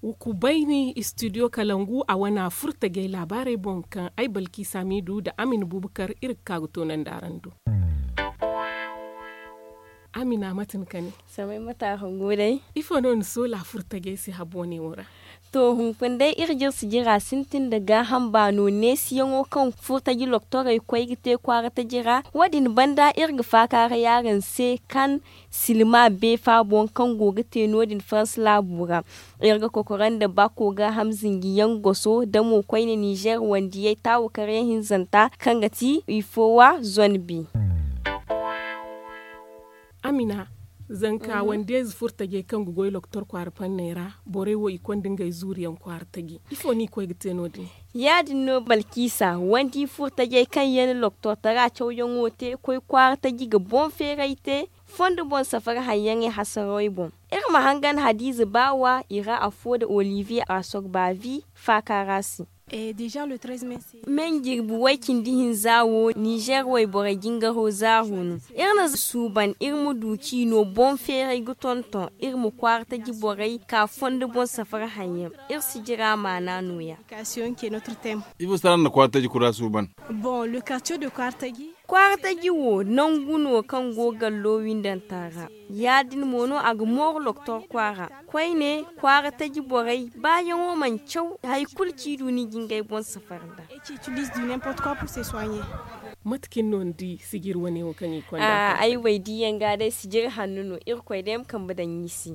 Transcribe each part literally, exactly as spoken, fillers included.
Wa ku bayni studio kalangu a wana furtajey laabaarey boŋ kaŋ ay balki samidu nda amin bubakar iri ga ka ga toonandi araŋ do. Amina mate ni kane? Samay mate a hangu day. Ifo no ni soola furtajey se habo ne wo ra? To hunkuna day iri jire sijira sintin nda gaaham baano neesiyaŋo kaŋ furtaji loktorey koy ga te kwaara taji ra wo- din banda iri ga faakaaray araŋ se kaŋ silma beefa boŋ kaŋ go ga te no- din farans laabu ra. Iri ga kokora nda baako gaaham zinjiyaŋ goso da mo koyne nizer wandiyey taawu karyaŋ hinzanta kaŋ ga ti ifowa zone bi. Amina, zanka wandiyayze furtajey kaŋ ga goy loktor kwaara fanney ra, borey wo i konda ngey zuuriyaŋ kwaara taji. Ifo no i koy ga te no- din? Ya- din no balkiisa wandi furtajey kaŋ yaŋ na loktortara cawyaŋo te koy kwaara taji ga boŋ feeray te fondo boŋ safari haŋyaŋey hasarawey boŋ. Iri ma hangan hadiize baawa i ra afo nda oliviye asogbavi faaka ra se. Me jirbi way cindi hinza wo nizer wayborey jingaro zaaru no. Iri na suuban iri ma du ciino boŋ feeray ga tonton iri ma kwaara taji borey ka fondo boŋ safari haŋyaŋ. Iri sijira maana nooya. Ifo se ra no na kwaara taji kura suuban? Kwaara taji wo nangu no kaŋ go gallo windanta ra. Ya- din mo no a ga mooru loktor kwaara. Koyne kwaara taji borey baayaŋo mana caw hari kulu ci du ni ga ngey boŋ safari nda. Mate cine no ni di sijir wane wo kaŋ i konda? Ay wo ay diiyaŋ ga day sijir hanno no irkoy day ma kambe daŋ i se.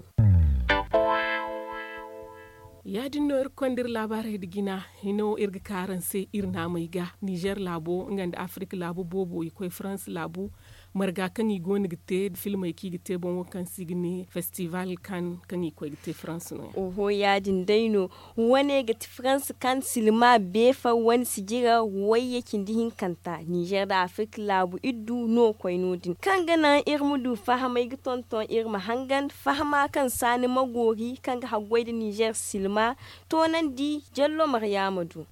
Ya- din no iri ga konda iri laabaarey nda jina. Hino iri ga ka araŋ se iri naamey ga nizer laabo nga nda afirika laabu boobo i koy farans laabu. Marga kaŋ i go no ga te filmey kaŋ i ga te boŋ wo kaŋ se i ga ne festival kan kaŋ i koy ga te farans no ya. Oho ya- din day no. Wane ga ti farans kan silma beefa wane sijira wayye cindi hinkanta nizer nda afirika laabu iddu no koy no- din kaŋ ga naŋ iri ma du fahamay ga tonton iri ma hangan fahama kaŋ saani ma goori kaŋ ga haggoy nda nizer silma toonandi jallo maryaama du.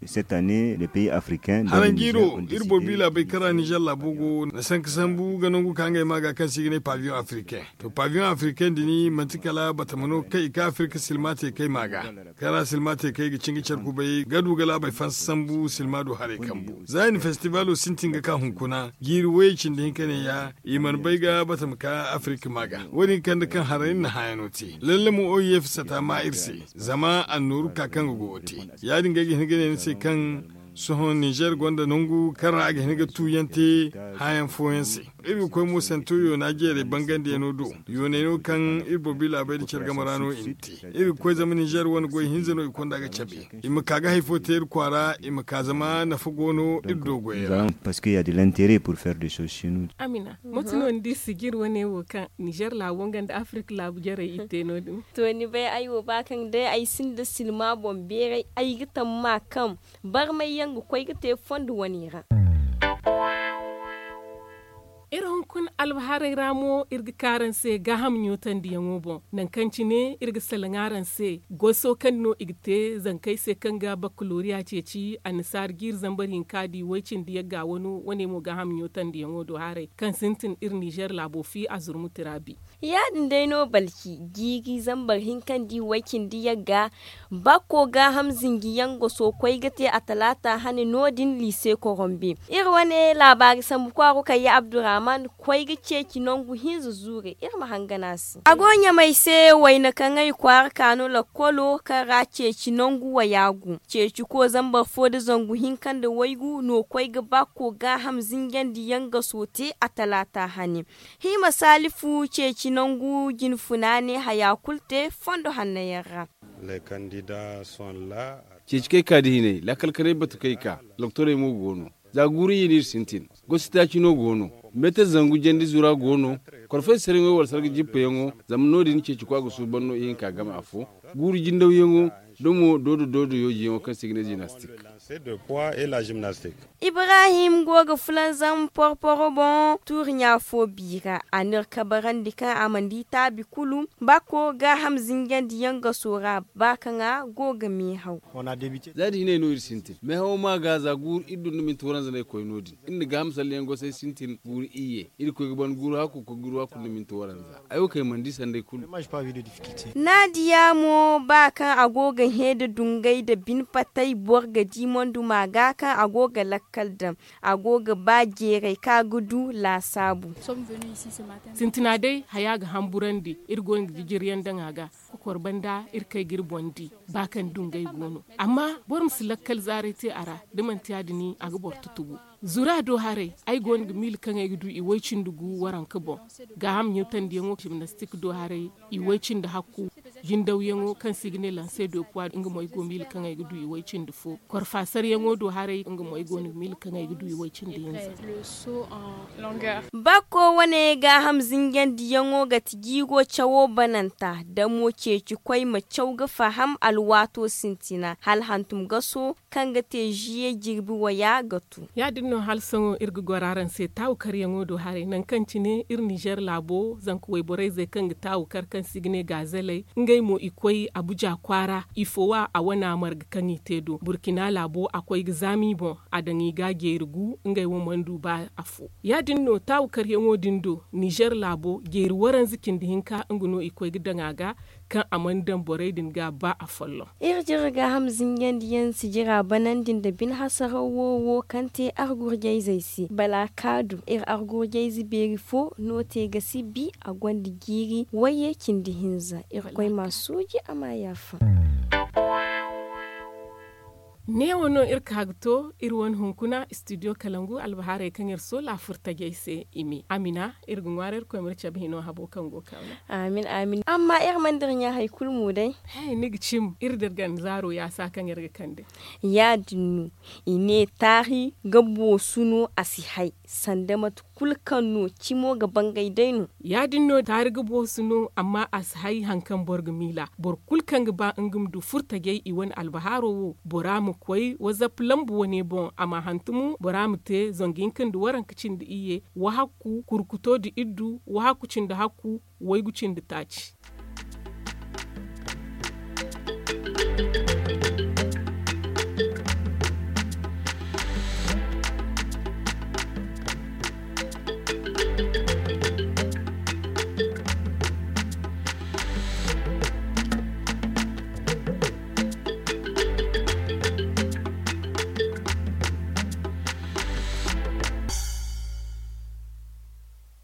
Haraŋ jiiro iri boro biila bay kaŋ ra nizer laabo go na sanka sambu ga nangu ka ngey ma ga kaŋ se i ga ne paviyoŋ afirikaŋ. To paviyoŋ afirikaŋ din manti kala batama no kaŋ i ka afirika silma te kay ma ga. Kaŋ ra silma te kay ga cin ga care kubay ga du ga laabey fansa sambu silma du haray kambu za i na festibalo sintin ga ka hunkuna jiiri wayey cindi hinka ne ya. I mana bay ga batama ka afirika ma ga wo- din kande kaŋ haray iri na hãyano te lalle mo oyef sata ma iri se. Zama annooru ka kaŋ ga go ga te ya- din ga ay ga hin ga ne ni se kaŋ sohõ nizer gonda nangu kaŋ ra a ga hin ga tuuyaŋ te hãyaŋ fooyaŋ se. Iri ga koy mo santo yoona jeerey bangandiyaŋo do yooney no kaŋ iri boro biila bay nda care game ra no i na te. Iri ga koy zama nizer wane goy hinza no i konda ga cabe i ma ka ga hari fo te iri kwaara i ma ka zama nafa go no iri do goyey ra. Amina, mate no ni di sijir wane wo kaŋ nizer laabo nga nda afirika laabu jarey i te no- din? To ni bay ay wo ba kaŋ day ay sinda silma boŋ beeray ay ga tamma kaŋ barmay yaŋ ga koy ga te fondo wane ra. Iri hunkuna albahaarey ra mo iri ga ka araŋ se gaaham ɲootandiyaŋo boŋ. Nangu kaŋ cine iri ga salaŋ araŋ se goso kaŋ no i ga te zankey se kaŋ ga bakkaloriya ceeci annasaara jiiri zambar hinka di way cindi yagga wano wane mo gaaham ɲootandiyaŋo do haray kaŋ sintin iri nizer laabo fi a zurmuti ra bi. Ya- din day no balki jiiri zambar hinka di way cindi yagga bakko gaaham zinji yaŋ ga sokoy ga te a talaata hane no- din liise korombe. Iri wane laabaari sambu kwaaro kayya abdurrahman koy ga ceeci nangu hinza zuure iri ma hangan a se a go ɲamay se wayna kaŋ ay kwaara ka no lakkolo kaŋ ra ceeci nangu wayaagu ceeci ko zambar fo nda zangu hinka nda waygu no koy ga bakko gaaham zinjandi yaŋ ga soote a talaata hane. Hima salifu ceeci nangu jinfuna ne haya kulu te fondo hanno yaŋ ra. Ceeci kay ka da hinay laakal kanay batu kay ka doktorey mo go no. Za guuru i n'iri sintin gosi taaci no go no. Meetar zangu jandi zura go no. Korfay saraŋo wala sarga jippayaŋo zama no- din ceeci kwa ga suuban no ihinka game afo. Guuru jindawyaŋo Da mo doodo doodo yooji yaŋo kaŋ se i ga ne zinastik. Ibrahim go ga fulanzam porporo boŋ tuuri ɲa fo biira a n'iri kabarandi kaŋ a mana di taabi kulu. Bakko gaaham zinjandi yaŋ ga soora ba kaŋ a go ga meehaw. Za da hinay no iri sintin meehawo ma ga za guuru iri du nda minti waranza no ay koy no- din. Iri na gaaham salleyaŋ gosay sintin guuru iyye iri koy ga ban guuru hakku koy guuru hakku nda minti waranza. Ay wo kay mana di sanday kulu. Naadiya mo ba kaŋ a go ga hẽ nda dungay nda bine patay boro ga di monduma ga kaŋ a go ga lakkal daŋ. A go ga ba jeeray kaŋ a ga du laasaabu. Sintina day haya ga hamburandi iri go no ga jijiriyaŋ daŋ a ga. Kokor banda iri kay ga iri boŋ di ba kaŋ dungay go no. Amma boro ma si lakkal zaaray te a ra da manti ya- din a ga boro tutubu. Zura do haray ay go no ga miila kaŋ ay ga du i way cindi gu waranka boŋ. Gaaham ɲutandiyaŋo jimnastik do haray i way cindi hakku. Jindawyaŋo kaŋ se i ga ne lanse do puwa nga mo ay go miila kaŋ ay ga du i way cindi fo. Korfaasaryaŋo do haray nga mo ay go no ga miila kaŋ ay ga du i way cindi hinza. Bakko wane gaaham zinjandiyaŋo ga ti jiiro cawo bananta da mo ceeci koy ma caw ga faham alwaato sintina hala hantum gaso kaŋ ga te ziye jirbi waya ga tu. Ya- din no hala sohõ iri ga goro araŋ se taawukaryaŋo do haray nangu kaŋ cine iri nizer laabo zanka wayborey zey kaŋ ga taawukar kaŋ se i ga ne gaazeley. Ngey mo i koy abuja kwaara ifo wa a wane a marga kaŋ i te do burkina laabo a koy ga zaama i boŋ. A daŋ i ga a jeeri gu ngey wo mana du ba afo. Ya- din no taawukaryaŋo din do nizer laabo jeeri waranza cindi hinka nga no i koy ga daŋ a ga kaŋ a mana daŋ borey din ga ba afolloŋ. Iri jire gaaham zinjandiyaŋ sijira banandi nda bine hasaraw wo wo kaŋ te argurjayzey se bala kaadu iri argurjayze beeri fo no te ga si bi a gonda jiiri wayye cindi hinza. Iri koy ma suuji a ma yaafa. Neewo no iri ka ga to iri wane hunkuna studio kalangu albahaarey kaŋ iri soola furtajey se i me amina iri ga ŋwaara iri koy ma iri cabe hino habo kaŋ go ga kaaw no. Amin amin amma iri mana dira ɲa hari kulu mo day. He ni ga cim iri da iri ganda zaaro yaasa kaŋ iri ga kande. Ya- din no i ne taari ga boosu no a si hay sanda mate kulu kaŋ no cimo ga bangay day no. Ya- din no taari ga boosu no amma a si hay hari kaŋ boro ga miila boro kulu kaŋ ga ba nga ma du furtajey i wane albahaaro wo bora ma koy wazap lambu wane boŋ a ma hantumu bora ma te zangu hinka nda waranka cindi iyye wahakku kurkuto nda iddu wahakku cindi hakku waygu cindi taaci.